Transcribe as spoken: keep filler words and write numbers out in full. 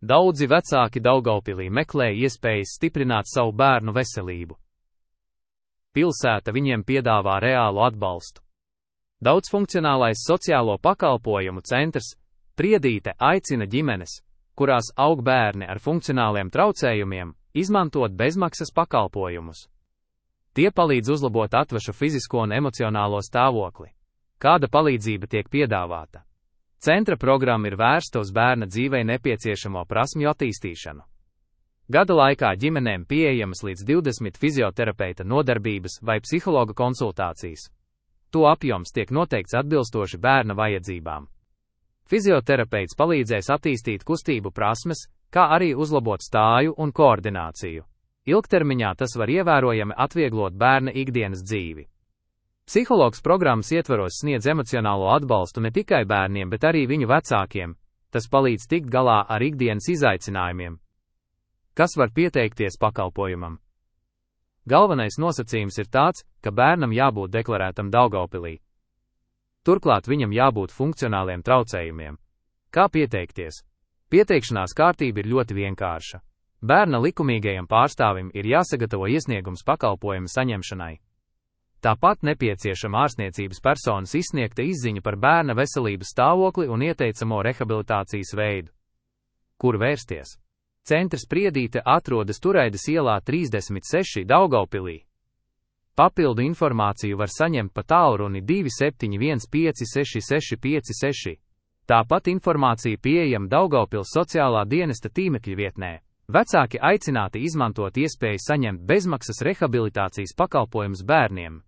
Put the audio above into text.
Daudzi vecāki Daugavpilī meklē iespējas stiprināt savu bērnu veselību. Pilsēta viņiem piedāvā reālu atbalstu. Daudzfunkcionālais sociālo pakalpojumu centrs Priedīte aicina ģimenes, kurās aug bērni ar funkcionāliem traucējumiem, izmantot bezmaksas pakalpojumus. Tie palīdz uzlabot atvešu fizisko un emocionālo stāvokli. Kāda palīdzība tiek piedāvāta? Centra programma ir vērsta uz bērna dzīvei nepieciešamo prasmju attīstīšanu. Gada laikā ģimenēm pieejamas līdz divdesmit fizioterapeita nodarbības vai psihologa konsultācijas. To apjoms tiek noteikts atbilstoši bērna vajadzībām. Fizioterapeits palīdzēs attīstīt kustību prasmes, kā arī uzlabot stāju un koordināciju. Ilgtermiņā tas var ievērojami atvieglot bērna ikdienas dzīvi. Psihologs programmas ietvaros sniedz emocionālo atbalstu ne tikai bērniem, bet arī viņu vecākiem. Tas palīdz tikt galā ar ikdienas izaicinājumiem. Kas var pieteikties pakalpojumam? Galvenais nosacījums ir tāds, ka bērnam jābūt deklarētam Daugavpilī. Turklāt viņam jābūt funkcionāliem traucējumiem. Kā pieteikties? Pieteikšanās kārtība ir ļoti vienkārša. Bērna likumīgajam pārstāvim ir jāsagatavo iesniegums pakalpojumu saņemšanai. Tāpat nepieciešama ārstniecības personas izsniegta izziņa par bērna veselības stāvokli un ieteicamo rehabilitācijas veidu. Kur vērsties? Centrs Priedīte atrodas Turaidas ielā trīsdesmit seši Daugavpilī. Papildu informāciju var saņemt pa tālruni divi septiņi viens pieci seši seši pieci seši. Tāpat informācija pieejama Daugavpils sociālā dienesta tīmekļa vietnē. Vecāki aicināti izmantot iespēju saņemt bezmaksas rehabilitācijas pakalpojumus bērniem.